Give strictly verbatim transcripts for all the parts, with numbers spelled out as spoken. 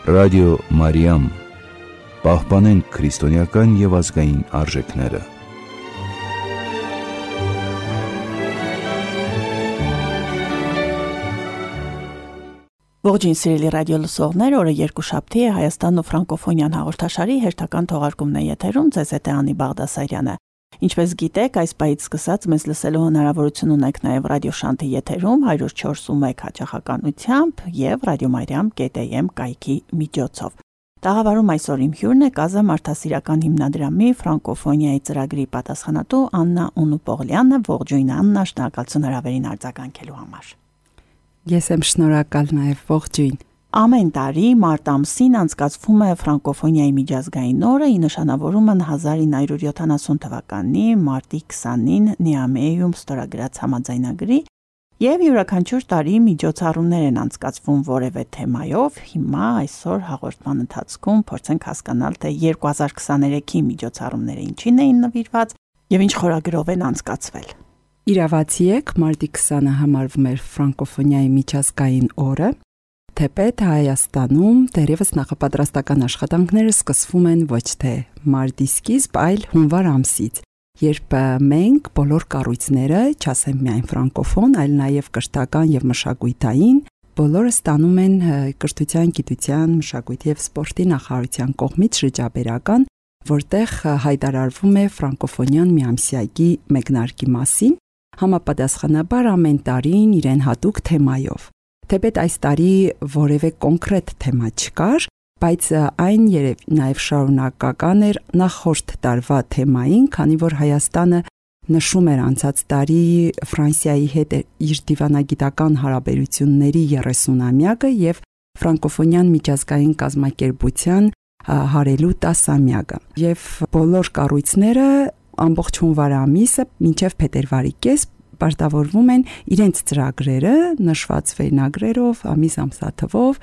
Ռադիո Մարիամ, պահպանենք քրիստոնեական և ազգային արժեքները։ Ողջույն սիրելի ռադիո լսողներ, օրը երկուշաբթի է, Հայաստանն ու ֆրանկոֆոնիան հաղորդաշարի հերթական թողարկումն է եթերում, ձեզ հետ է Անի Բաղդասարյանը։ Ինչպես գիտեք, այս պահից սկսած մեզ լսելու հնարավորություն ունեք նաև ռադիոշանթի եթերում հարյուր չորս ու մեկ հաճախականությամբ և Ռադիո Մարիամ կետ էյ էմ կայքի միջոցով։ Տաղավարում այսօր իմ հյուրն է Կազա մարդասիրական հիմնադրամի ֆրանկոֆոնիայի ծրագրի պատասխանատու Աննա Ունուպողլյանը։ Ողջույն Աննա, շնորհակալություն հրավերին արձագանքելու համար։ Ես եմ շնորհակալ նաև, ողջույն։ Ամեն տարի մարտ ամսին անցկացվում է ֆրանկոֆոնիայի միջազգային օրը, ի նշանավորում են հազար ինը հարյուր յոթանասուն թվականի մարտի քսանին Նիամեյում ստորագրած համաձայնագրի և յուրաքանչյուր տարի միջոցառումներ են անցկացվում որևէ թեմայով։ Հիմա այսօր հաղորդման ընթացքում փորձենք հասկանալ, թե երկու հազար քսաներեքի միջոցառումները ինչին էին նվիրված և ինչ խորագրով են անցկացվել։ Իրավացի եք, մարտի քսանը համարվում էր ֆրանկոֆոնիայի միջազգային օրը, թեպետ Հայաստանում դեռևս նախապատրաստական աշխատանքները սկսվում են ոչ թե մարտի սկիզբ, այլ հունվար ամսից, երբ մենք բոլոր կառույցները, չասեմ միայն ֆրանկոֆոն, այլ նաև կրթական և մշակութային, բոլորը ստանում են կրթության, գիտության, մշակույթի և սպորտի նախարարության կողմից շրջաբերական, որտեղ հայտարարվում է ֆրանկոֆոնիան միամսյակի մեկնարկի մասին, համապատասխանաբար ամեն տարին իրեն հատուկ թեմայով։ Թեպետ այս տարի որևէ կոնկրետ թեմա չկար, բայց այն երև նաև շարունակական էր նախորդ տարվա թեմային, քանի որ Հայաստանը նշում էր անցած տարի Ֆրանսիայի հետ իր դիվանագիտական հարաբերությունների երեսունամյակը և ֆրանկոֆոնիան միջազգային կազմակերպության հարելու տասամյակը։ Եվ բոլոր կառույցները ամբողջ հունվար ամիսը մինչև փետրվարի կես պարտավորվում են իրենց ծրագրերը նշված վերնագրերով, ամիս ամսաթվով,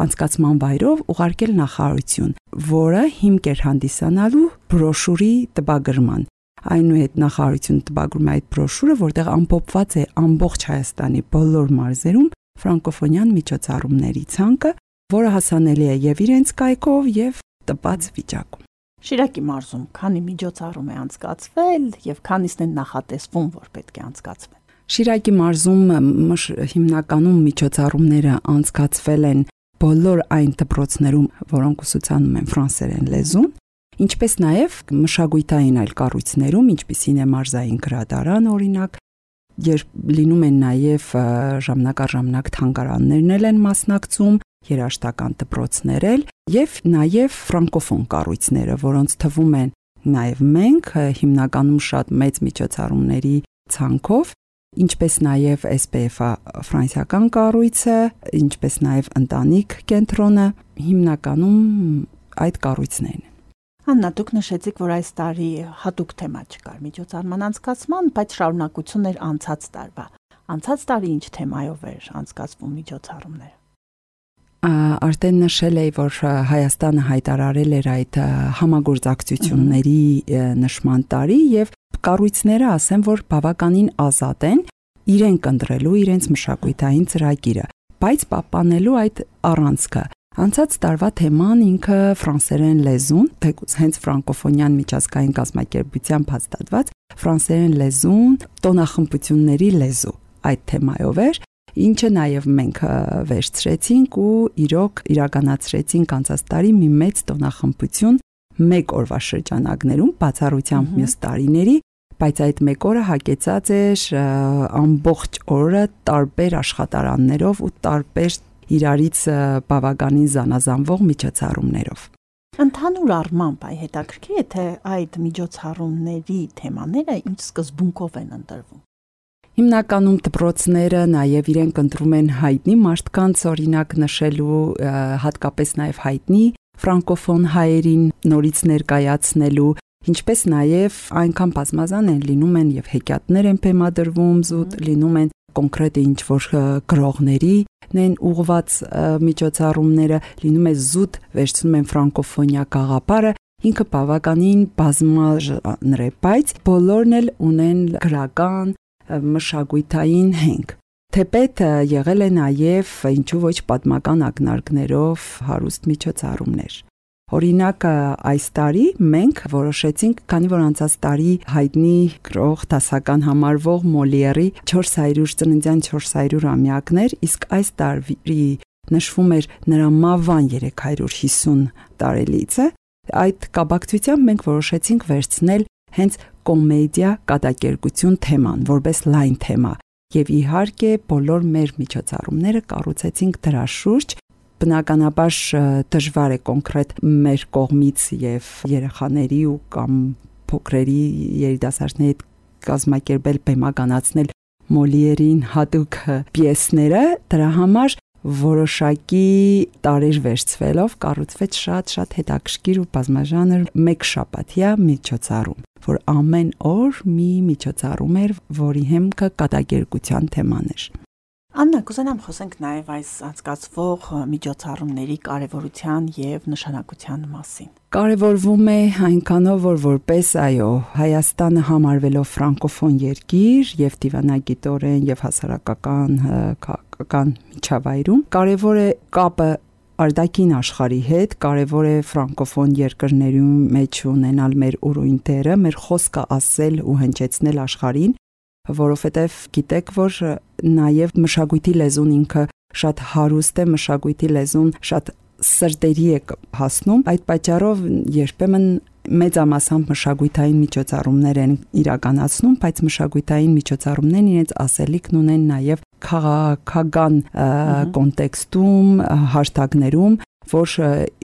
անցկացման վայրով ուղարկել նախարարություն, որը հիմք էր հանդիսանալու բրոշուրի տպագրման։ Այնուհետ նախարարությունը տպագրում է այդ բրոշուրը, որտեղ ամփոփված է ամբողջ Հայաստանի բոլոր մարզերում ֆրանկոֆոնիան միջոցառումների ցանկը, որը հասանելի է եւ իրենց կայքով եւ տպած վիճակում։ Շիրակի մարզում քանի միջոցառում է անցկացվել եւ քանիսն են նախատեսվում, որ պետք է անցկացվեն։ Շիրակի մարզում հիմնականում միջոցառումները անցկացվել են բոլոր այն դպրոցներում, որոնք ուսուցանում են ֆրանսերեն լեզուն, ինչպես նաեւ մշակութային այլ կառույցներում, ինչպիսին է մարզային գրադարան օրինակ, երբ լինում են նաեւ ժամանակ առ ժամանակ թանգարաններն են մասնակցում, երաժշտական դպրոցներ էլ եւ նաեւ ֆրանկոֆոն կառույցները, որոնց թվում են նաեւ մենք հիմնականում շատ մեծ միջոցառումների ցանկով, ինչպես նաեւ էս պի էֆ-ը ֆրանսիական կառույցը, ինչպես նաեւ ընտանիք կենտրոնը, հիմնականում այդ կառույցներն են։ Աննա, դուք նշեցիք, որ այս տարի հատուկ թեմա չկար միջոցառման անցկացման, բայց շարունակություն էր անցած տարվա։ Անցած տարի ինչ թեմայով էր անցկացվում միջոցառումները։ Արդեն նշել էի, որ Հայաստանը հայտարարել էր այդ համագործակցությունների նշման տարի եւ կառույցները ասեն, որ բավականին ազատ են իրենք ընտրելու իրենց մշակութային ծրագիրը, բայց պահպանելու այդ առանցքը։ Անցած տարվա թեման ինքը ֆրանսերեն լեզուն, թեկուզ հենց ֆրանկոֆոնիան միջազգային կազմակերպությամբ հաստատված ֆրանսերեն լեզուն, տոնախմբությունների լեզու այդ թեմայով էր, ինչը նաև մենք վերցրեցինք ու իրոք իրականացրեցինք անցած տարի մի մեծ տոնախմբություն մեկ օրվա շրջանակներում, բացառությամբ մյուս տարիների, բայց այդ մեկ օրը հագեցած էր ամբողջ օրը տարբեր աշխատարաններով ու տարբեր իրարից բավականին զանազանվող միջոցառումներով։ Ընդհանուր առմամբ այ հետաքրքիր է, թե այդ միջոցառումների թեմաները ինչ սկզբունքով են ընտրվում։ Հիմնականում դպրոցները նաև իրենք ընտրում են հայտնի մարդկանց, օրինակ նշելու, հատկապես նաև հայտնի ֆրանկոֆոն հայերին նորից ներկայացնելու, ինչպես նաև այնքան բազմազան են լինում են եւ հեքիաթներ են բեմադրվում, զուտ լինում են կոնկրետ ինչ-որ գրողների են ուղված միջոցառումները, լինում է զուտ վերցնում են ֆրանկոֆոնիա գաղափարը, ինքը բավականին բազմաժանր է, բայց բոլորն էլ ունեն գրական մշակութային հենք։ Թեպետ եղել է նաև ինչու ոչ պատմական ակնարկներով հարուստ միջոցառումներ։ Օրինակ այս տարի մենք որոշեցինք, քանի որ անցած տարի հայտնի գրող դասական համարվող Մոլիերի չորս հարյուր ծննդյան չորս հարյուր ամյակներ, իսկ այս տարի նշվում էր նրա մահվան երեք հարյուր հիսուն տարելիցը, այդ կապակցությամբ մենք որոշեցինք վերցնել հենց կոմեդիա կատակերգություն թեման, որպես լայն թեմա, եւ իհարկե բոլոր մեր միջոցառումները կառուցեցինք դրա շուրջ։ Բնականաբար դժվար է կոնկրետ մեր կողմից եւ երեխաների ու կամ փոքրերի երիտասարդների հետ կազմակերպել բեմականացնել Մոլիերին հատուկ պիեսները, դրա համար որոշակի տարեր վերցվելով կառուցվեց շատ-շատ հետաքրքիր ու բազմաժանր մեկ շաբաթյա միջոցառում, որ ամեն օր մի միջոցառում էր, որի հիմքը կատակերգության թեման էր։ Աննա, կուզենամ խոսենք նաև այս անցկացվող միջոցառումների կարևորության եւ նշանակության մասին։ Կարևորվում է այնքանով, որ որպես այո, Հայաստանը համարվելով ֆրանկոֆոն երկիր եւ դիվանագիտորեն եւ հասարակական քաղաքական միջավայրում, կարևոր է կապը արտաքին աշխարհի հետ, կարևոր է ֆրանկոֆոն երկրներում մեջ ունենալ մեր ուրույն դերը, մեր խոսքը ասել ու հնչեցնել աշխարհին, որովհետև գիտեք, որ նաև մշակույթի լեզուն ինքը շատ հարուստ է, մշակույթի լեզուն շատ սրտերի է հասնում, այդ պատճառով երբեմն մեծամասամբ մշակույթային միջոցառումներ են իրականացնում, բայց մշակույթային միջոցառումներն իրենց ասելիքն ունեն նաև քաղաքական կոնտեքստում, հարթակներում, որ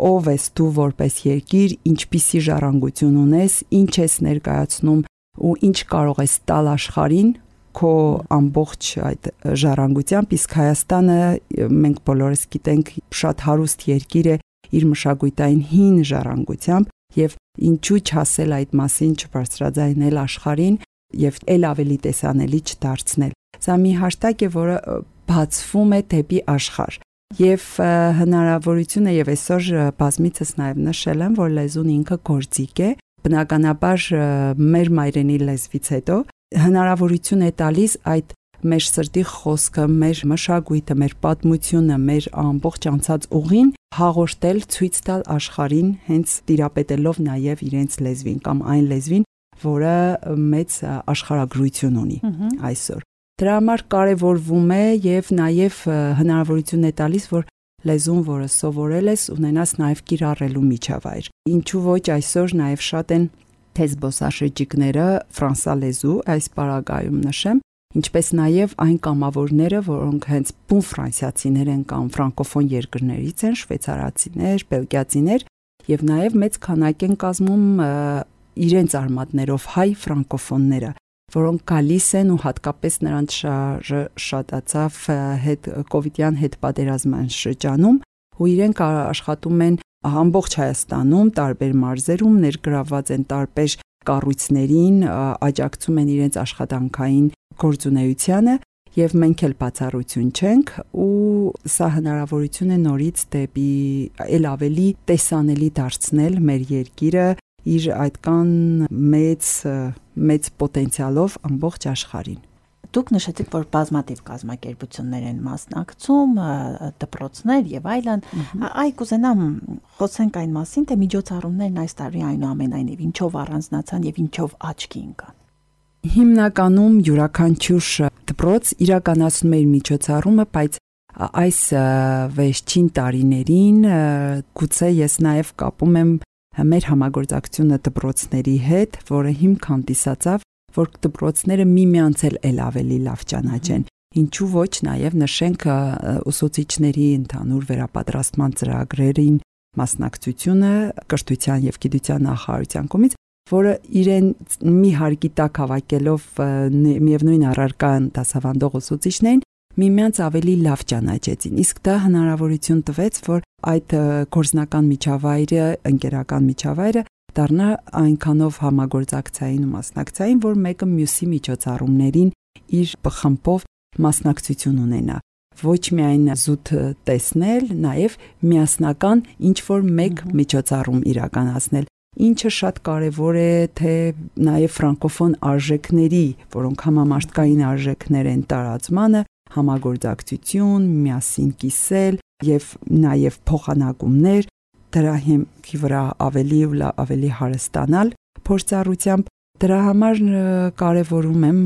ով ես դու որպես երկիր, ինչպիսի ժառանգություն ունես, ինչ ես ներկայացնում ու ինչ կարող ես տալ աշխարհին քո ամբողջ այդ ժառանգությամբ, իսկ Հայաստանը մենք բոլորս գիտենք շատ հարուստ երկիր է իր մշակութային հին ժառանգությամբ եւ ինչու չասել այդ մասին, չբարձրաձայնել աշխարհին եւ ել ավելի տեսանելի չդարձնել։ Սա մի հարթակ է, որը բացվում է դեպի աշխարհ եւ հնարավորություն է եւ այսօր բազմիցս նաեւ նշել եմ, որ լեզուն ինքը գործիք է, բնականաբար մեր մայրենի լեզվից հետո հնարավորություն է տալիս այդ մեր սրտի խոսքը, մեր մշակույթը, մեր պատմությունը, մեր ամբողջ անցած ուղին հաղորդել, ցույց տալ աշխարհին, հենց տիրապետելով նաև իրենց լեզվին կամ այն լեզվին, որը մեծ աշխարհագրություն ունի այսօր։ Դրա համար կարևորվում է եւ նաև հնարավորություն է տալիս, որ լեզուն, որը սովորել ես, ունենաս նաև կիրառելու միջավայր։ Ինչու ոչ այսօր նաև շատ են թե զբոսաշրջիկները ֆրանսալեզու, այս պարագայում նշեմ, ինչպես նաև այն կամավորները, որոնք հենց բուն ֆրանսիացիներ են կամ ֆրանկոֆոն երկրներից են, շվեյցարացիներ, բելգիացիներ, եւ նաև մեծ քանակ են կազմում իրենց արմատներով հայ ֆրանկոֆոնները, որոնք գալիս են ու հատկապես նրանց շարժը շատացավ հետ կովիդյան հետ պատերազմյան շրջանում, ու իրենք աշխատում են ամբողջ Հայաստանում, տարբեր մարզերում, ներգրաված են տարբեր կառույցներին, աջակցում են իրենց աշխատանքային գործունեությանը եւ մենք էլ բացառություն չենք, ու սա հնարավորություն է նորից դեպի ել ավելի տեսանելի դարձնել մեր երկիրը իր այդքան մեծ մեծ պոտենցիալով ամբողջ աշխարհին։ Դուք նշեցիք, որ բազմաթիվ կազմակերպություններ են մասնակցում, դպրոցներ եւ այլն։ Այ կուզենամ խոսենք այն մասին, թե միջոցառումներն այս տարի այնուամենայնիվ ինչով առանձնացան եւ ինչով աչքի ընկան։ Հիմնականում յուրաքանչյուր դպրոց իրականացնում էր միջոցառումը, բայց այս վերջին տարիներին գուցե ես նաեւ կապում եմ մեր համագործակցությունը դպրոցների հետ, որը հիմք հանդիսացավ, որ դպրոցները միմյանց էլ ավելի լավ ճանաչեն։ Ինչու ոչ նաև նշենք ուսուցիչների ընդհանուր վերապատրաստման ծրագրերին մասնակցությունը կրթության եւ գիտության նախարարության կողմից, որը իրեն մի հարկի տակ հավաքելով միևնույն առարկան դասավանդող ուսուցիչներին միմյանց ավելի լավ ճանաչեցին։ Իսկ դա հնարավորություն տվեց, որ այդ գործնական միջավայրը, ընկերական միջավայրը դառնա այնքանով համագործակցային ու մասնակցային, որ մեկը մյուսի միջոցառումներին իր խմբով մասնակցություն ունենա։ Ոչ միայն զուտ տեսնել, նաև միասնական ինչ որ մեկ միջոցառում իրականացնել, ինչը շատ կարևոր է, թե նաև ֆրանկոֆոն արժեքների, որոնք համամարտկային արժեքներ են տարածմանը, համագործակցություն, միասին կիսել եւ նաեւ փոխանակումներ, դրա հիմքի վրա ավելի ու ավելի հարստանալ փորձառությամբ։ Դրա համար կարևորում եմ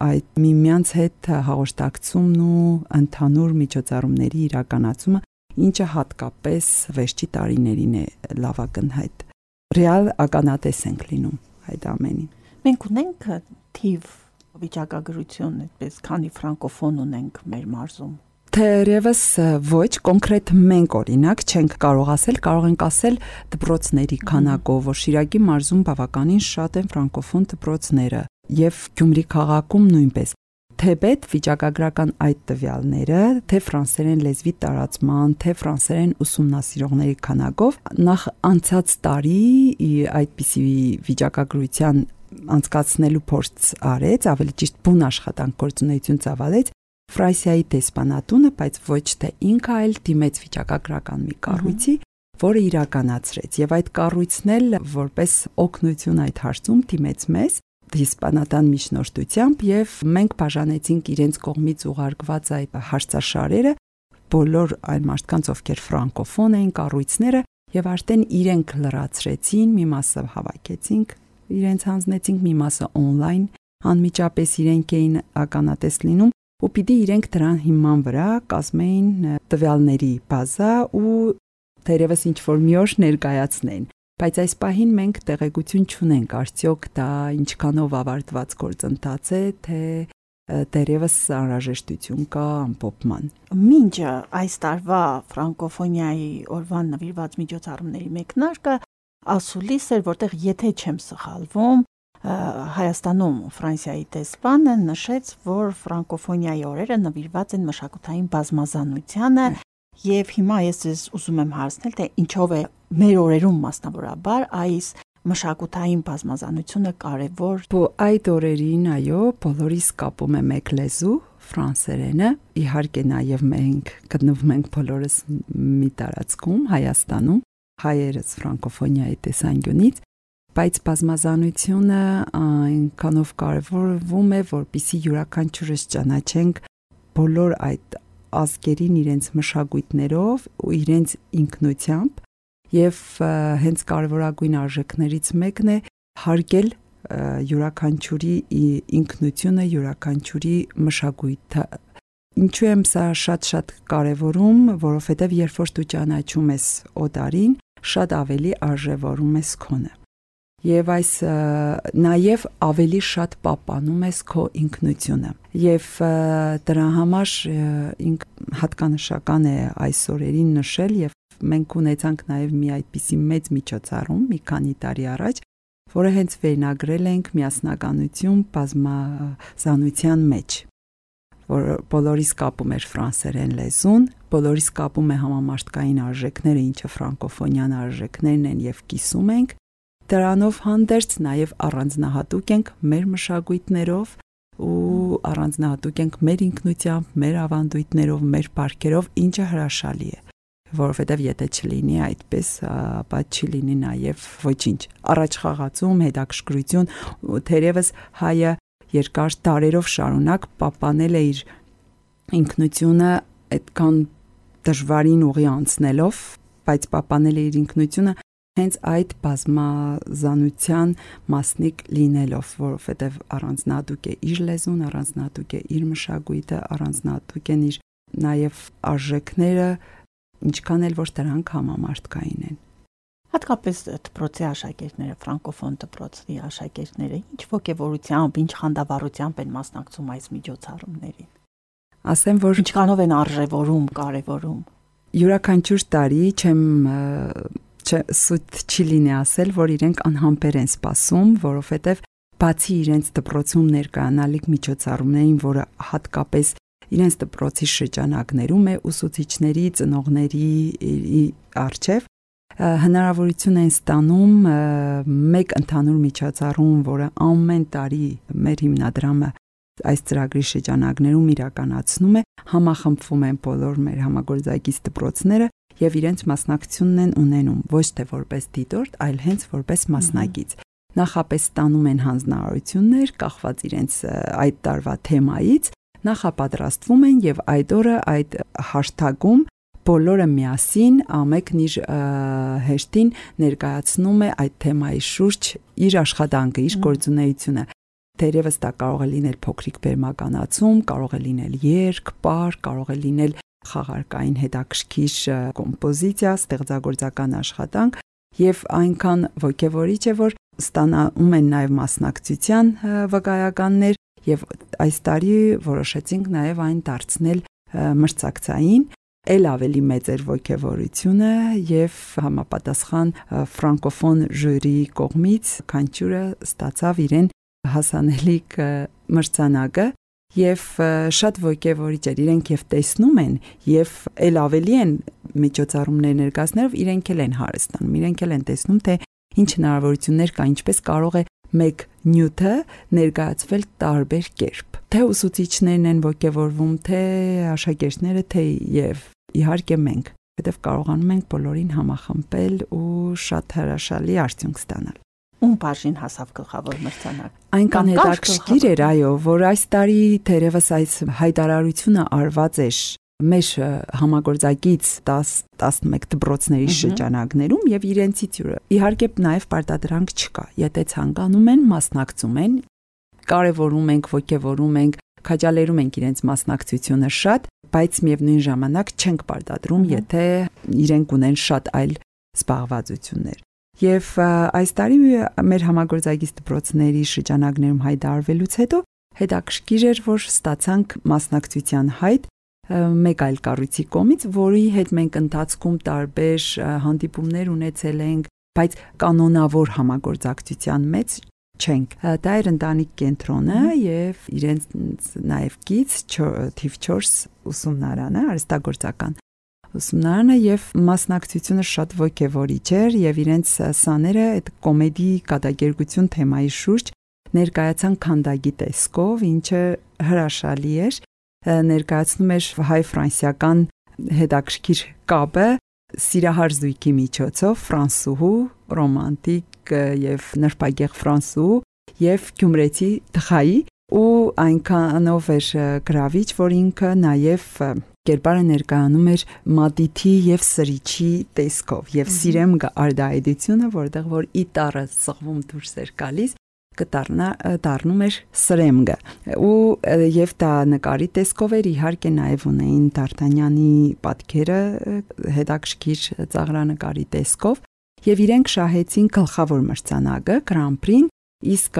այդ միմյանց հետ հաղորդակցումն ու ընդհանուր միջոցառումների իրականացումը, ինչը հատկապես վերջի տարիներին է լավակնհայտ։ Ռեալ ականատես ենք լինում այդ ամենին։ Մենք ունենք թիվ վիճակագրություն, այդպես քանի ֆրանկոֆոն ունենք մեր մարզում։ Թերևս ոչ, կոնկրետ մենք օրինակ չենք կարող ասել, կարող ենք ասել դպրոցների քանակով, որ Շիրակի մարզում բավականին շատ են ֆրանկոֆոն դպրոցները եւ Գյումրի քաղաքում նույնպես։ Թեպետ վիճակագրական այդ տվյալները, թե ֆրանսերեն լեզվի տարածման, թե ֆրանսերեն ուսումնասիրողների քանակով, նախ անցած տարի այդպիսի վիճակագրության անցկացնելու փորձ արեց, ավելի ճիշտ բուն աշխատանք գործունեություն ծավալեց Ֆրանսիայի դեսպանատունը, բայց ոչ թե ինքը, այլ դիմեց վիճակագրական մի կառույցի, որը իրականացրեց, եւ այդ կառույցն էլ որպես օգնություն այդ հարցում դիմեց մեզ դեսպանատան միջնորդությամբ, եւ մենք բաժանեցինք իրենց կողմից ուղարկված այդ հարցաշարերը բոլոր այն մարդկանց, ովքեր ֆրանկոֆոն էին, կառույցները, եւ արդեն իրենք լրացրեցին, մի մասը հավաքեցինք, իրենց հանձնեցինք, մի մասը on-line, անմիջապես իրենք էին ականատես լինում ու պիտի իրենք դրան հիման վրա կազմեին տվյալների բազա ու թերևս ինչ-որ մի օր ներկայացնեն, բայց այս պահին մենք տեղեկություն չունենք, արդյոք դա ինչքանով ավարտված գործընթաց է, թե դերևս անհրաժեշտություն կա ամփոփման։ Մինչ այս տարվա ֆրանկոֆոնիայի օրվան նվիրված միջոցառումների մեկնարկը ասուլիս էր, որտեղ եթե չեմ սխալվում, Հայաստանում Ֆրանսիայի դեսպանը նշեց, որ ֆրանկոֆոնիայի օրերը նվիրված են մշակութային բազմազանությանը, եւ հիմա ես ես ուզում եմ հարցնել, թե ինչով է մեր օրերում մասնավորաբար այս մշակութային բազմազանությունը կարևոր։ Բո այդ օրերին, այո, բոլորիս կապում է մեկ լեզու, ֆրանսերենը, իհարկե նաեւ մենք գտնվում ենք բոլորս մի տարածքում, Հայաստանում, հայերս ֆրանկոֆոնիայի տեսանկյունից, բայց բազմազանությունը այնքանով կարևորվում է, որպեսզի յուրաքանչյուրս ճանաչենք բոլոր այդ ազգերին իրենց մշակույթներով ու իրենց ինքնությամբ, եւ հենց կարևորագույն արժեքներից մեկն է հարգել յուրաքանչյուրի ինքնությունը, յուրաքանչյուրի մշակույթը։ Ինչու եմ սա շատ-շատ կարևորում, որովհետեւ երբ որ դու ճանաչում ես օտարին, շատ ավելի արժևորում ես քոնը։ Եվ այս նաև ավելի շատ պահպանում ես քո ինքնությունը։ Եվ դրա համար ինք հատկանշական է այս օրերին նշել, եւ մենք ունեցանք նաև մի այդպիսի մեծ միջոցառում մի քանի տարի առաջ, որը հենց վերնագրել ենք միասնականություն բազմազանության մեջ, որ բոլորիս կապում էր ֆրանսերեն լեզուն, բոլորիս կապում է համամարտկային արժեքները, ինչը ֆրանկոֆոնյան արժեքներն են եւ կիսում ենք։ Դրանով հանդերձ նաև առանձնահատուկ ենք մեր մշակույթներով ու առանձնահատուկ ենք մեր ինքնությամբ, մեր ավանդույթներով, մեր բարքերով, ինչը հրաշալի է, որովհետև եթե չլինի այդպես, ապա չի լինի նաև ոչինչ։ Առաջ խաղացում, հետաքրքրություն, թերևս հայը երկար տարերով շարունակ պահպանել է իր ինքնությունը այդքան դժվարին ուղի անցնելով, բայց պահպանել է իր ինքնությունը հենց այդ բազմազանության մասնիկ լինելով, որովհետև առանձնահատուկ է իր լեզուն, առանձնահատուկ է իր մշակույթը, առանձնահատուկ են իր նաև արժեքները, ինչքան էլ որ դրանք համամարտկային են։ Հատկապես դպրոցի աշակերտները, ֆրանկոֆոն դպրոցի աշակերտները ինչ ոգևորությամբ, ինչ խանդավառությամբ են մասնակցում այս միջոցառումներին։ Ասեմ, որ ինչքանով են արժևորում, կարևորում։ Յուրաքանչյուր տարի չեմ սուտ չի լինի ասել, որ իրենք անհամբեր են սպասում, որովհետև բացի իրենց դպրոցում ներկայանալիք միջոցառումներին, որը հատկապես իրենց դպրոցի շրջանակներում է ուսուցիչների, ծնողների առջև, հնարավորություն են ստանում մեկ ընդհանուր միջոցառում, որը ամեն տարի մեր հիմնադրամը այս ծրագրի շրջանակներում իրականացնում է, համախմբվում են բոլոր մեր համագործակից դպրոցները եւ իրենց մասնակցությունն են ունենում ոչ թե որպես դիտորդ, այլ հենց որպես մասնակից։ Նախապես ստանում են հանձնարարություններ, կախված իրենց այդ տարվա թեմայից, նախապատրաստվում են եւ այդ օրը այդ հաշթագում բոլորը միասին ամենքն իր հեշտին ներկայացնում է այդ թեմայի շուրջ իր աշխատանքը, իր գործունեությունը։ Թերևս դա կարող է լինել փոքրիկ բեմականացում, կարող է լինել երգ, պար, կարող է լինել խաղարկային հետաքրքիր կոմպոզիցիա, ստեղծագործական աշխատանք եւ այնքան ոգևորիչ է, որ ստանալու են նաեւ մասնակցության վկայականներ եւ այս տարի որոշեցինք նաեւ այն դարձնել մրցակցային, ել ավելի մեծ էր ոգևորությունը եւ համապատասխան ֆրանկոֆոն ժյուրի կողմից քանչյուրը ստացավ իրեն հասանելիք մրցանակը եւ շատ ոգևորիչ էր, իրենք եւ տեսնում են եւ ել ավելի են միջոցառումներ ներկայացնելով իրենք էլ են հարստանում, իրենք էլ են տեսնում թե ինչ հնարավորություններ կա, ինչպես կարող է մեկ նյութը ներկայացվել տարբեր կերպ։ Թե ուսուցիչներն են ոգևորվում, թե աշակերտները, թե եւ իհարկե մենք, որովհետեւ կարողանում ենք բոլորին համախմբել ու շատ հրաշալի արդյունք ստանալ։ Ում բաժին հասավ գլխավոր մրցանակ։ Այնքան հետաքրքիր էր, այո, որ այս տարի թերևս այս հայտարարությունը արված էր մեր համագործակից դաս տասնմեկ դպրոցների շրջանակներում եւ իրենցից յուրը։ Իհարկե նաեւ պարտադրանք չկա։ Եթե ցանկանում են, մասնակցում են, կարևորում ենք, ոգևորում ենք, քաջալերում ենք իրենց մասնակցությունը շատ, բայց միևնույն ժամանակ չենք պարտադրում, եթե իրենք ունեն շատ այլ զբաղվածություններ։ Եվ այս տարի մեր համագործակից դպրոցների շրջանակներում հայտարարվելուց հետո հետաքրքիր էր, որ ստացանք մասնակցության հայտ մեկ այլ կառույցի կողմից, որի հետ մենք ընթացքում տարբեր հանդիպումներ ունեցել ենք, բայց կանոնավոր համագործակցության մեջ չենք։ Դա էր ընտանիք կենտրոնը եւ իրենց նաեւ գից թիվ չորս ուսումնարանը, արհեստագործական ուսումնարանը եւ մասնակցությունը շատ ոգևորիչ էր եւ իրենց սաները այդ կոմեդի կատակերգություն թեմայի շուրջ ներկայացան քանդակի տեսքով, ինչը հրաշալի էր, ներկայացնում էր հայ-ֆրանսիական հետաքրքիր կապը սիրահար զույգի միջոցով, ֆրանսուհու, ռոմանտիկ եւ նրբագեղ ֆրանսուհու եւ գյումրեցի տխայի ու այնքանով էր գրավիչ, որ ինքը նաեւ կերպարը ներկայանում էր մատիթի եւ սրիչի տեսքով եւ սիրեմ արդայդությունը, որտեղ որ իտարը սղվում դուրս էր գալիս, կդառնա դառնում էր սրեմգը ու եւ դա նկարի տեսքով էր, իհարկե նաեւ ունեին Դարտանյանի պատկերը հետաքրքիր ծաղրանկարի տեսքով եւ իրենք շահեցին գլխավոր մրցանակը Grand Prix, իսկ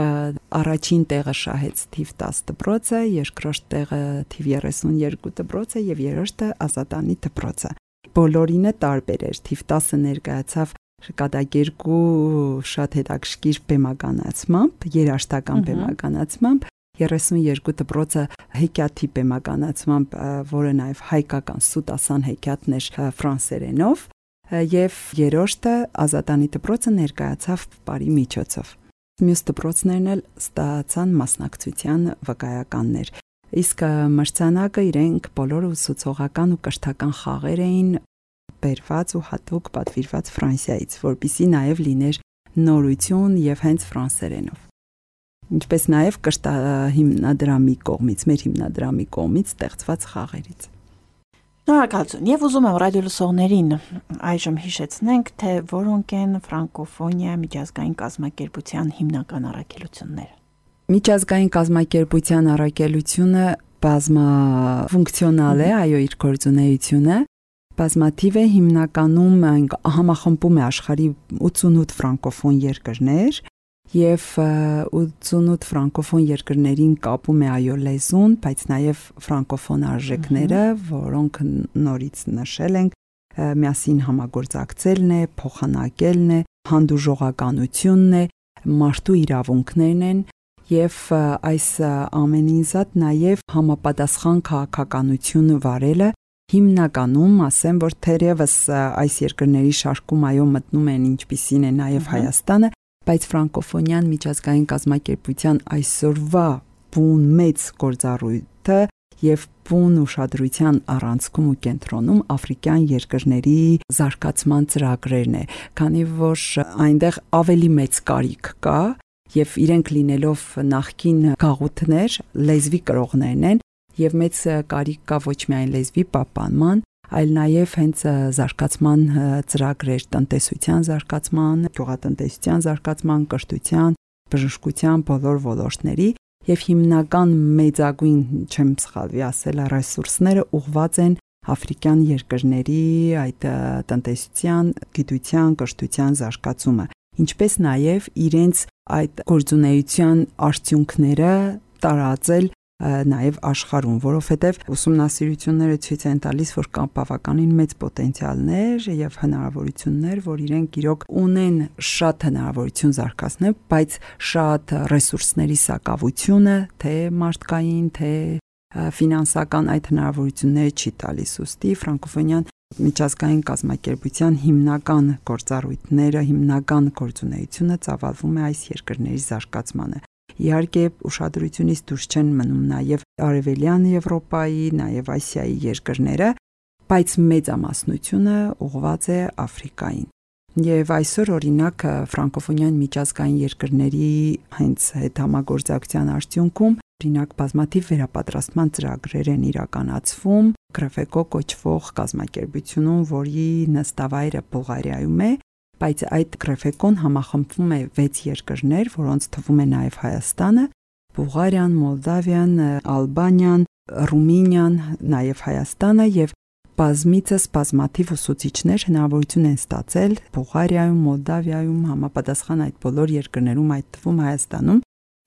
առաջին տեղը շահեց թիվ տասը դպրոցը, երկրորդ տեղը թիվ երեսունյոթ դպրոցը եւ երրորդը Ազատանի դպրոցը։ Բոլորինը տարբեր էր, թիվ տասը ներկայացավ կատակերգու շատ հետաքրքիր բեմականացմամբ, երաժշտական բեմականացմամբ, երեսունյոթ դպրոցը հեքիաթի բեմականացմամբ, որը նաև հայկական սուտասան հեքիաթն էր ֆրանսերենով, եւ երրորդը Ազատանի դպրոցը ներկայացավ բարի միջոցով։ Մյուս դպրոցներն էլ ստացան մասնակցության վկայականներ։ Իսկ մրցանակը իրենք բոլորը ուսուցողական ու կրթական խաղեր էին բերված ու հատուկ պատվիրված Ֆրանսիայից, որպեսզի նաև լիներ նորություն եւ հենց ֆրանսերենով։ Ինչպես նաև կրթահիմնադրամի կողմից, մեր հիմնադրամի կողմից ստեղծված խաղերից։ Շնորհակալություն։ Եվ ուզում եմ ռադիոլսողներին այժմ հիշեցնենք, թե որոնք են ֆրանկոֆոնիա միջազգային կազմակերպության հիմնական առաքելությունները։ Միջազգային կազմակերպության առաքելությունը բազմաֆունկցիոնալ է, այո, իր գործունեությունը բազմաթիվ է, հիմնականում համախմբում է աշխարհի ութսունութ ֆրանկոֆոն երկրներ եւ ութսունութ ֆրանկոֆոն երկրներին կապում է այո լեզուն, բայց նաեւ ֆրանկոֆոն արժեքները, որոնք նորից նշել ենք, միասին համագործակցելն է, փոխանակելն է, հանդուրժողականությունն է, մարդու իրավունքներն են եւ այս ամենին զատ նաեւ համապատասխան քաղաքականություն վարելը հիմնականում ասեմ, որ թերևս այս երկրների շարքում այո մտնում են ինչպիսին է նաեւ Հայաստանը, բայց ֆրանկոֆոնիան միջազգային կազմակերպության այսօրվա բուն մեծ գործառույթը եւ բուն ուշադրության առանցքում ու կենտրոնում աֆրիկյան երկրների զարգացման ծրագրերն է, քանի որ այնտեղ ավելի մեծ կարիք կա եւ իրենք լինելով նախկին գաղութներ, լեզվի կրողներն են, եւ մեծ կարիք կա ոչ միայն լեզվի պահպանման, այլ նաև հենց զարգացման ծրագրեր, տնտեսության զարգացման, գյուղատնտեսության զարգացման, կրթության, բժշկության բոլոր ոլորտների եւ հիմնական մեծագույն, չեմ սխալվի ասել, ռեսուրսները ուղղված են աֆրիկյան երկրների այդ տնտեսության, գիտության, կրթության զարգացումը, ինչպես նաև իրենց այդ գործունեության արդյունքները տարածել նաև աշխարհում, որովհետև ուսումնասիրությունները ցույց են տալիս, որ կան բավականին մեծ պոտենցիալներ եւ հնարավորություններ, որ իրենք իրոք ունեն շատ հնարավորություն զարգացնել, բայց շատ ռեսուրսների սակավությունը, թե մարդկային, թե ֆինանսական այդ հնարավորությունները չի տալիս։ Ուստի ֆրանկոֆոնյան միջազգային կազմակերպության հիմնական գործառույթները, հիմնական գործունեությունը ծավալվում է այս երկրների զարգացմանը։ Իհարկե ուշադրությունից դուրս չեն մնում նաև Արևելյան Եվրոպայի, նաև Ասիայի երկրները, բայց մեծամասնությունը ուղղված է Աֆրիկային։ Եվ այսօր օրինակ ֆրանկոֆոնյան միջազգային երկրների հենց հետ համագործակցության արդյունքում օրինակ բազմաթիվ վերապատրաստման ծրագրեր են իրականացվում Գրեֆեկո կոչվող կազմակերպությունում, որի նստավայրը Բուլղարիայում է, բայց այդ Գրեֆեկոն համախմբվում է վեց երկրներ, որոնց թվում է նաև Հայաստանը, Բուլղարիան, Մոլդավիան, Ալբանիան, Ռումինիան, նաև Հայաստանը եւ բազմիցս բազմաթիվ ուսուցիչներ հնարավորություն են ստացել Բուլղարիայում, Մոլդավիայում, համապատասխան այդ բոլոր երկրներում, այդ թվում Հայաստանում,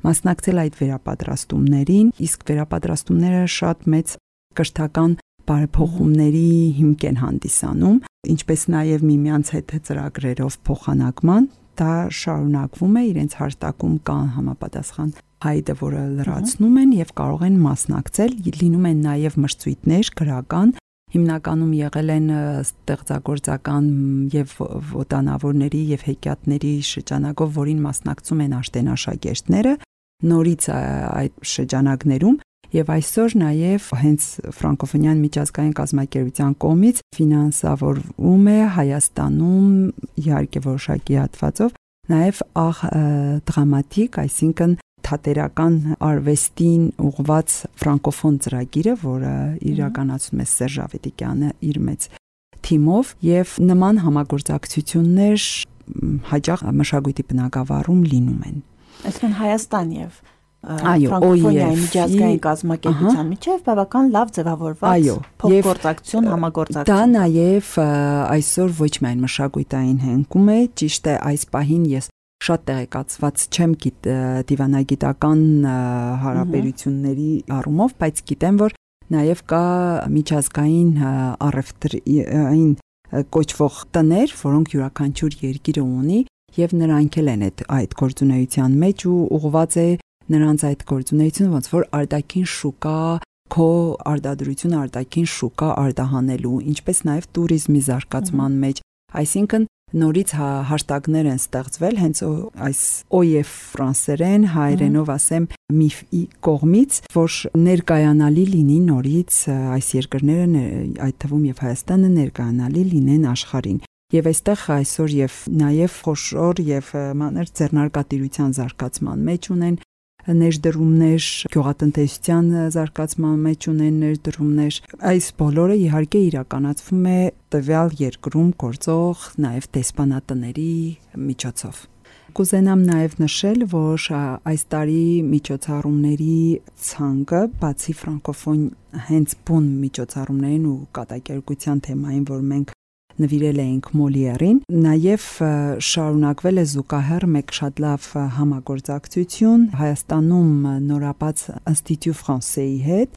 մասնակցել այդ վերապատրաստումներին, իսկ վերապատրաստումները շատ մեծ կրթական բարեփոխումների հիմք են հանդիսանում, ինչպես նաև միմյանց հետ ծրագրերով փոխանակման, դա շարունակվում է, իրենց հարտակում կան համապատասխան հայտը, որը լրացնում են եւ կարող են մասնակցել, լինում են նաև մրցույթներ գրական, հիմնականում եղել են ստեղծագործական եւ ոտանավորների եւ հեքիաթների շրջանակով, որին մասնակցում են աշտենաշակերտները, նորից այդ շրջանակներում եւ այսօր նաև հենց ֆրանկոֆոնյան միջազգային կազմակերպության կողմից ֆինանսավորվում է Հայաստանում իհարկե որոշակի հատվածով նաև աղ դրամատիկ, այսինքն թատերական արվեստին ուղղված ֆրանկոֆոն ծրագիրը, որը իրականացնում է Սերժ Ավետիքյանը իր մեծ թիմով եւ նման համագործակցություններ հաճախ մշակույթի բնագավառում լինում են։ Այսինքն Հայաստան եւ ֆրանկոֆոնիայի միջազգային կազմակերպության միջև բավական լավ ձևավորված փոխգործակցություն, համագործակցություն։ Դա նաև այսօր ոչ միայն մշակույթային հենքում է, ճիշտ է, այս պահին ես շատ տեղեկացված չեմ դիվանագիտական հարաբերությունների առումով, բայց գիտեմ, որ նաև կա միջազգային առևտրային կոչվող տներ, որոնք յուրաքանչյուր երկիրը ունի եւ նրանք էլ են այդ գործունեության մեջ ու ուղղված է նրանց այդ գործունեությունը ոնց որ արտաքին շուկա քո արտադրությունը արտաքին շուկա արտահանելու, ինչպես նաև туриզմի զարգացման մեջ, այսինքն նորից հաշտագներ են ստեղծվել հենց այս օ եֆ ֆրանսերեն, հայերենով ասեմ միֆի կողմից, որ ներկայանալի լինի նորից այս երկրները, այդ թվում եւ Հայաստանը ներկայանալի լինեն աշխարհին։ Եվ այստեղ այսօր եւ նաեւ խոշոր եւ մանր ձեռնարկատիրության զարգացման մեջ ունեն ներդրումներ, գյուղատնտեսության զարգացման մեջ ունեն ներդրումներ։ Այս բոլորը իհարկե իրականացվում է տվյալ երկրում գործող նաև դեսպանատների միջոցով։ Կուզենամ նաև նշել, որ այս տարի միջոցառումների ցանկը, բացի ֆրանկոֆոն հենց բուն միջոցառումներին ու կատակերգության թեմային, որ մենք նվիրել էինք Մոլիերին, նաև շարունակվել է զուգահեռ մեկ շատ լավ համագործակցություն Հայաստանում նորաբաց Ինստիտուտ Ֆրանսեի հետ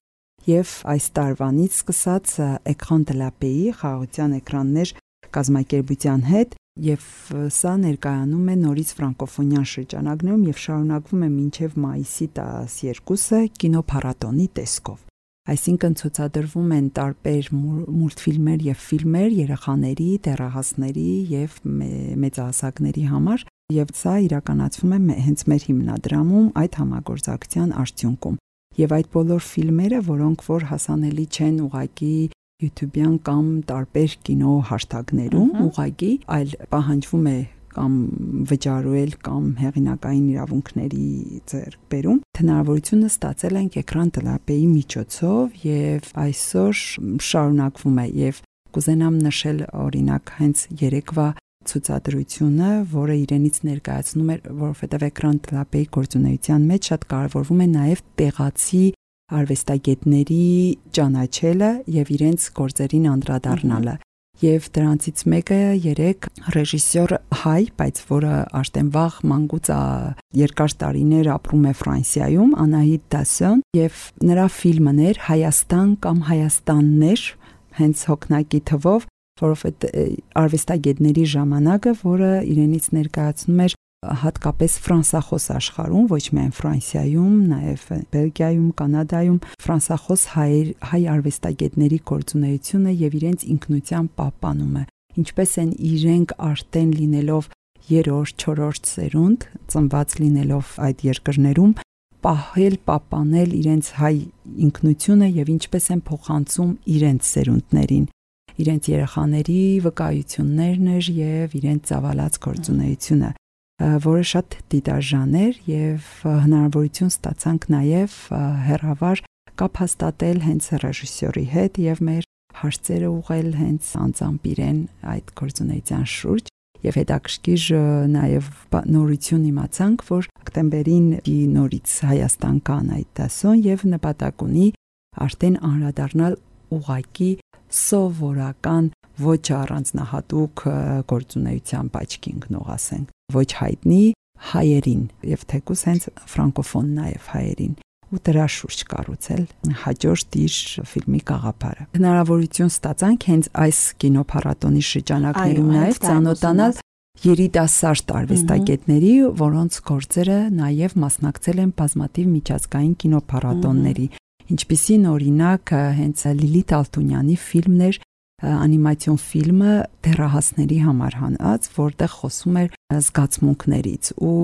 եւ այս տարվանից սկսած Écran de la Pays խաղաղության էկրաններ կազմակերպության հետ եւ սա ներկայանում է նորից ֆրանկոֆոնյան շրջանակներում եւ շարունակվում է մինչեւ մայիսի տասներկուսը կինոփառատոնի տեսքով։ Այսինքն ցուցադրվում են տարբեր մուլտֆիլմեր եւ ֆիլմեր երեխաների, դեռահասների եւ մեծահասակների համար եւ սա իրականացվում է հենց մեր հիմնադրամում այդ համագործակցության արդյունքում։ Եվ այդ բոլոր ֆիլմերը, որոնք որ հասանելի չեն ուղղակի YouTube-յան կամ տարբեր կինո հաշտագներում, ուղղակի այլ պահանջվում է կամ վճարել կամ հեղինակային իրավունքների ձեռքբերում, հնարավորությունը ստացել ենք էկրան տելապեի միջոցով եւ այսօր շարունակվում է եւ կուզենամ նշել օրինակ հենց երեկվա ցուցադրությունը, որը իրենից ներկայացնում էր, որովհետեւ էկրան տելապեի գործունեության մեջ շատ կարևորվում է նաեւ տեղացի արվեստագետների ճանաչելը եւ իրենց գործերին անդրադառնալը։ Եվ դրանցից մեկը երեք ռեժիսոր հայ, բայց որը արդեն վաղ մանկուց երկար տարիներ ապրում է Ֆրանսիայում, Անահիտ Դասոն, եւ նրա ֆիլմն էր Հայաստան կամ Հայաստաններ, հենց հոգնակի թվով, որովհետեւ արվեստագետների ժամանակը, որը իրենից ներկայացնում էր հատկապես ֆրանսախոս աշխարհում, ոչ միայն Ֆրանսիայում, նաև Բելգիայում, Կանադայում ֆրանսախոս հայ հայ արվեստագետների գործունեությունը եւ իրենց ինքնության պահպանումը, ինչպես են իրենք արդեն լինելով երրորդ, չորրորդ սերունդ, ծնված լինելով այդ երկրներում, պահել, պահպանել իրենց հայ ինքնությունը եւ ինչպես են փոխանցում իրենց սերունդներին, իրենց երեխաների վկայություններն էր եւ իրենց ծավալած գործունեությունը, որը շատ դիտարժան էր եւ հնարավորություն ստացանք նաեւ հերավար կապ հաստատել հենց ռեժիսորի հետ եւ մեր հարցերը ուղղել հենց անձամբ իրեն այդ գործունեության շուրջ եւ հետաքրքիր նաեւ նորություն իմացանք, որ հոկտեմբերին նորից Հայաստան կա Անահիտ Դասոն եւ նպատակ ունի արդեն անդրադառնալ ուղակի սովորական ոչ առանձնահատուկ գործունեության աչքի ընկնող ասենք, ոչ հայտնի հայերին եւ թեկուզ հենց ֆրանկոֆոն նաեւ հայերին ու դրա շուրջ կառուցել հաջորդ իր ֆիլմի գաղափարը։ Հնարավորություն ստացանք հենց այս կինոփառատոնի շրջանակներում նաեւ ծանոթանալ երիտասարդ արվեստագետների, որոնց գործերը նաեւ մասնակցել են բազմաթիվ միջազգային կինոփառատոնների, ինչպիսին օրինակ հենց Լիլիթ Ալթունյանի ֆիլմներ, անիմացիոն ֆիլմը դեռահասների համար հանած, որտեղ խոսում էր զգացմունքներից ու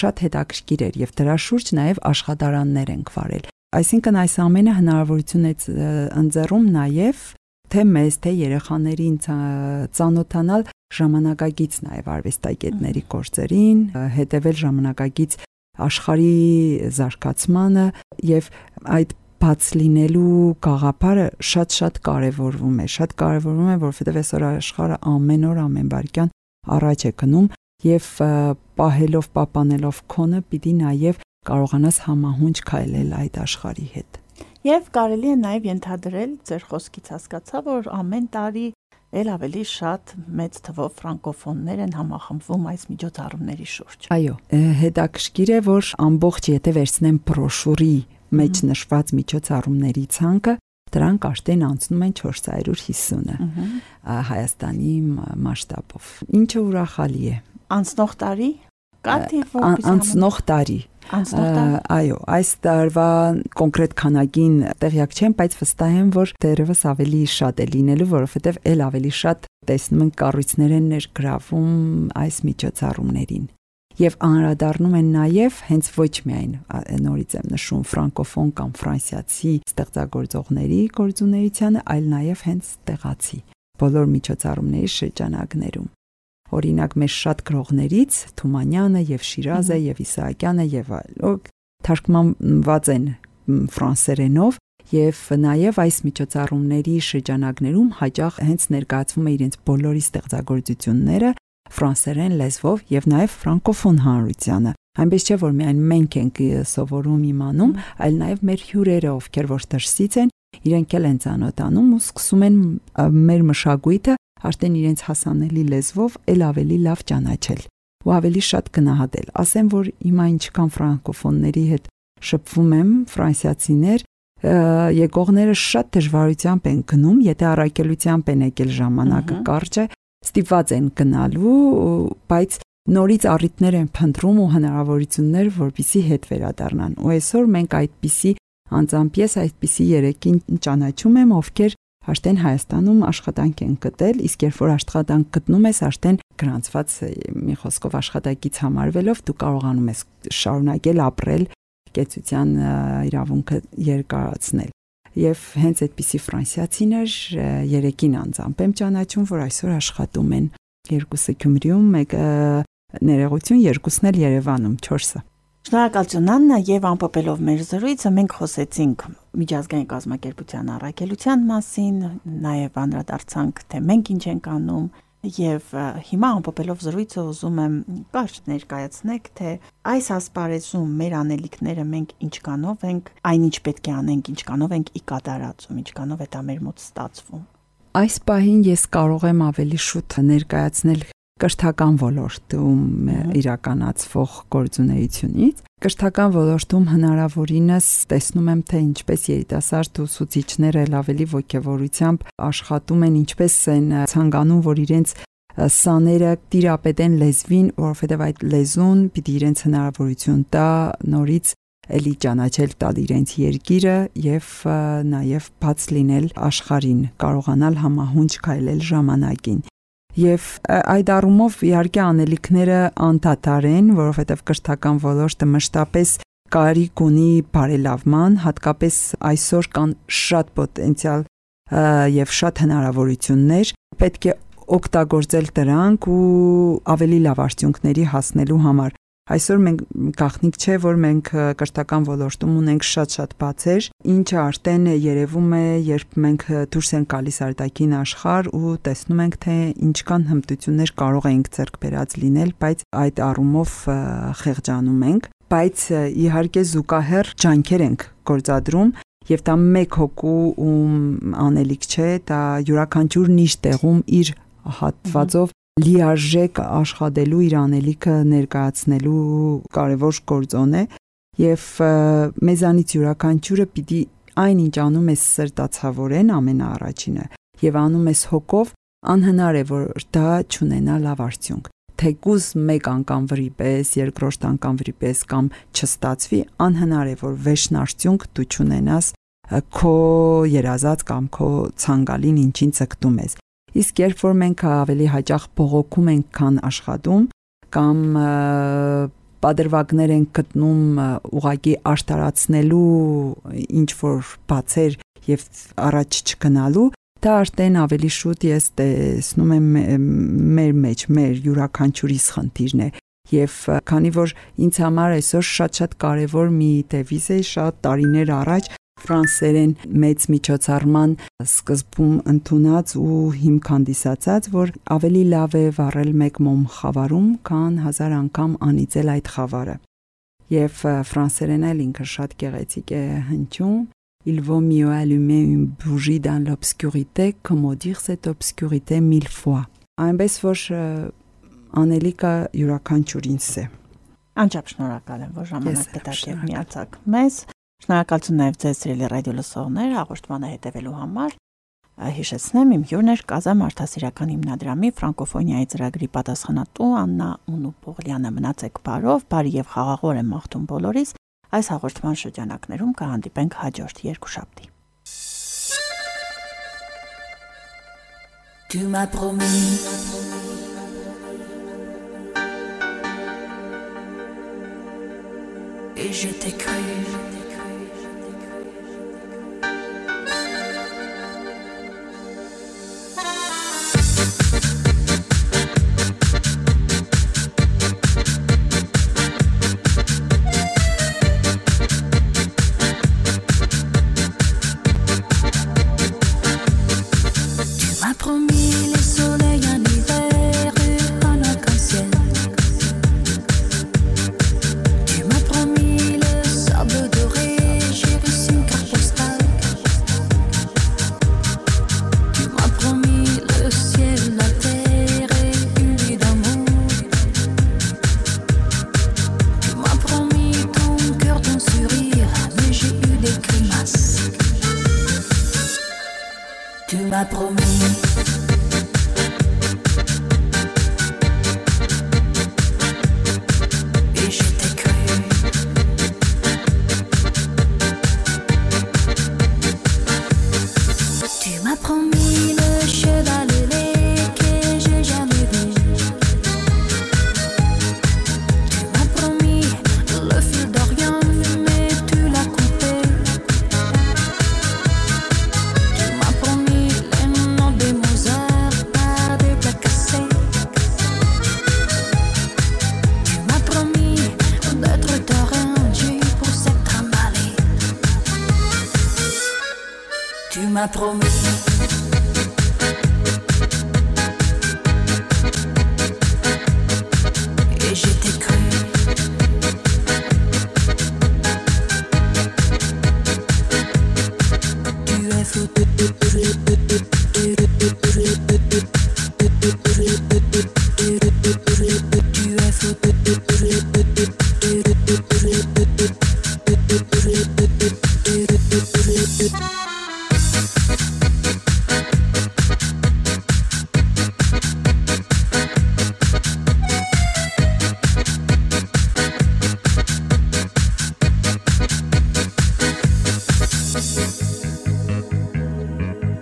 շատ հետաքրքիր էր եւ դրա շուրջ նաեւ աշխատարաններ ենք վարել։ Այսինքն այս ամենը հնարավորություն է ընձեռում նաեւ թե մեզ, թե երեխաներին ծանոթանալ ժամանակագից նաեւ արվեստագետների գործերին, հետեւել ժամանակագից աշխարհի զարգացմանը եւ այդ բաց լինելու գաղափարը շատ-շատ կարևորվում է, շատ կարևորվում է, որովհետև այսօր աշխարհը ամեն օր ամեն վայրկյան առաջ է գնում եւ պահելով, պահպանելով քոնը պիտի նաեւ կարողանաս համահունչ քայլել այդ աշխարհի հետ։ Եվ կարելի է նաեւ ենթադրել, ձեր խոսքից հասկացա, որ ամեն տարի ել ավելի շատ մեծ թվով ֆրանկոֆոններ են համախմբվում այս միջոցառումների շուրջ։ Այո, հետաքրքիր է, որ ամբողջ եթե վերցնեմ բրոշուրի մեջ նշված միջոցառումների ցանկը, դրանք արդեն անցնում են չորս հարյուր հիսունը Հայաստանի մասշտաբով։ Ինչը ուրախալի է։ Անցնող տարի կա թիվ որպես անցնող տարի։ Այո, այս տարվա կոնկրետ քանակին տեղյակ չեմ, բայց վստահ եմ, որ դեռևս ավելի շատ է լինելու, որովհետև ել ավելի շատ տեսնում ենք կառույցներ են ներգրավում այս միջոցառումներին։ Եվ անդրադառնում են նաև հենց ոչ միայն նորից եմ նշում ֆրանկոֆոն կամ ֆրանսիացի ստեղծագործողների գործունեությանը, այլ նաև հենց տեղացի բոլոր միջոցառումների շրջանակներում։ Օրինակ մեր շատ գրողներից Թումանյանը եւ Շիրազը եւ Իսահակյանը եւ այլոք թարգմանված են ֆրանսերենով եւ նաեւ այս միջոցառումների շրջանակներում հաճախ հենց ներկայացվում է իրենց բոլորի ստեղծագործությունները ֆրանսերեն լեզվով եւ նաեւ ֆրանկոֆոն հանրությանը։ Այնպես չէ, որ միայն մենք ենք սովորում իմանում, այլ նաեւ մեր հյուրերը, ովքեր որ դրսից են, իրենք էլ են ծանոթանում ու սկսում են մեր մշակույթը արդեն իրենց հասանելի լեզվով ել ավելի լավ ճանաչել ու ավելի շատ գնահատել։ Ասեմ, որ հիմա ինչքան ֆրանկոֆոնների հետ շփվում եմ, ֆրանսիացիներ, եկողները շատ դժվարությամբ են գնում, եթե առաքելությամբ են եկել ժամանակը կարճ է, ստիպված են գնալու, բայց նորից առիթներ են փնտրում ու հնարավորություններ, որպեսզի հետ վերադառնան։ Ու այսօր մենք այդպիսի անձամբ ես այդպիսի երեքին ճանաչում եմ, ովքեր արդեն Հայաստանում աշխատանք են գտել, իսկ երբ որ աշխատանք գտնում ես, արդեն գրանցված մի խոսքով աշխատակից համարվելով դու կարողանում ես շարունակել ապրել, կեցության իրավունքը երկարացնել։ Եվ հենց այդպիսի ֆրանսիացիներ երեքին անձամբ եմ ճանաչում, որ այսօր աշխատում են երկուսը Գյումրիում, մեկը ներողություն, երկուսն էլ Երևանում, չորսը։ Շնորհակալություն Աննա, եւ ամփոփելով մեր զրույցը մենք խոսեցինք միջազգային կազմակերպության առաքելության մասին, նաեւ անդրադարձանք թե մենք ինչ ենք անում եւ հիմա ամփոփելով զրույցը ուզում եմ կարճ ներկայացնեք թե այս ասպարեզում մեր անելիքները մենք ինչքանով ենք, այնինչ պետք է անենք, ինչքանով ենք ի կատարածում, ինչքանով է դա մեր մոտ ստացվում։ Այս պահին ես կարող եմ ավելի շուտ ներկայացնել կրթական ոլորտում իրականացվող գործունեությունից։ Կրթական ոլորտում հնարավորինս տեսնում եմ, թե ինչպես երիտասարդ ուսուցիչները ավելի ոգևորությամբ աշխատում են, ինչպես են ցանկանում, որ իրենց սաները տիրապետեն լեզվին, որովհետև այդ լեզուն պիտի իրենց հնարավորություն տա նորից էլի ճանաչել տալ իրենց երկիրը եւ նաեւ բաց լինել աշխարհին, կարողանալ համահունչ քայլել ժամանակին։ Եվ այդ առումով իհարկե անելիքները անդադար են, որովհետև կրթական ոլորտը մշտապես կարիք ունի բարելավման, հատկապես այսօր կան շատ պոտենցիալ եւ շատ հնարավորություններ, պետք է օգտագործել դրանք ու ավելի լավ արդյունքների հասնելու համար։ Այսօր մենք գաղտնիք չէ, որ մենք կրթական ոլորտում ունենք շատ-շատ բացեր, ինչը արդեն երևում է, երբ մենք դուրս ենք գալիս արտաքին աշխարհ ու տեսնում ենք, թե ինչքան հմտություններ կարող ենք ձեռք բերած լինել, բայց այդ առումով խեղճանում ենք, բայց իհարկե զուգահեռ ջանքեր ենք գործադրում եւ դա մեկ հոգու անելիք չէ, դա յուրաքանչյուրն իր տեղում իր հատվածով լիարժեք աշխատելու իր անելիքը ներկայացնելու կարևոր գործոն է եւ մեզանից յուրաքանչյուրը պիտի այնինչ անում է սրտացավորեն ամենաառաջինը եւ անում ես հոգով, անհնար է որ դա չունենա լավ արդյունք, թեկուզ մեկ անգամ վրի պես, երկրորդ անգամ վրի պես կամ չստացվի, անհնար է որ վերջն արդյունք դու չունենաս քո երազած կամ քո ցանկալին ինչին ցկտում ես։ Իսկ երբ որ մենք ավելի հաճախ բողոքում ենք, քան աշխատում, կամ պատրվակներ ենք գտնում ուղղակի արտարացնելու ինչ որ բացեր եւ առաջ չգնալու, դա արդեն ավելի շուտ ես տեսնում եմ մեր մեջ, մեր յուրաքանչյուրիս խնդիրն է։ Եվ քանի որ ինձ համար այսօր շատ-շատ կարևոր մի դեվիզ է, շատ տարիներ առաջ ֆրանսերեն մեծ միջոցառման սկզբում ընդունած ու հիմք հանդիսացած, որ ավելի լավ է վառել մեկ մոմ խավարում, քան հազար անգամ անիծել այդ խավարը։ Եվ ֆրանսերեն էլ ինքը շատ գեղեցիկ է հնչում. Il vaut mieux allumer une bougie dans l'obscurité que maudire cette obscurité mille fois. Այնպես որ անելիքը յուրաքանչյուրինս է։ Անչափ շնորհակալ եմ, որ ժամանակ գտաք եւ միացաք մեզ։ Շնորհակալություն նաև ձեզ սիրելի ռադիո լսողներ հաղորդմանը հետևելու համար։ Հիշեցնեմ, իմ հյուրն էր Կազամ Արդասիրական հիմնադրամի ֆրանկոֆոնիայի ծրագրի պատասխանատու Աննա Ունուպողլյանը։ Մնացեք բարով, բարի եւ խաղաղոր եմ մաղթում բոլորիս։ Այս հաղորդման շրջանակներում կհանդիպենք հաջորդ երկուշաբթի։ Tu m'as promis et je t'ai cru. Tu m'as promis et je t'ai cru. Tu m'as promis le cheval ailé que j'ai jamais vu. Tu m'as promis le fil d'Orient mais tu l'as coupé. Tu m'as promis les noms des Mozart par des plats cassés. m'as promis. Et je t'ai cru. Tu es fou. Tu es fou.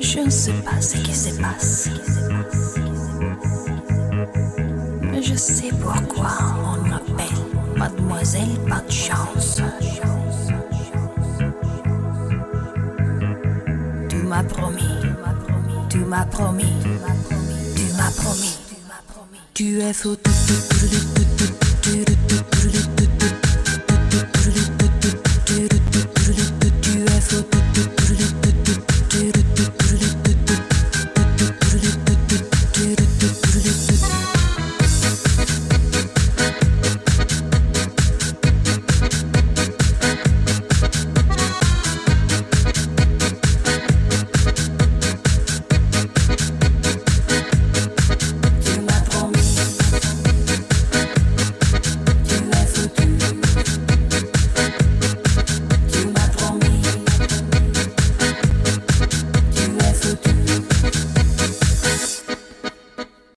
Je ne sais pas ce qui se passe, mais je sais pourquoi on m'appelle Mademoiselle Pas de Chance. Tu m'as promis, tu m'as promis, tu m'as promis, tu es fou.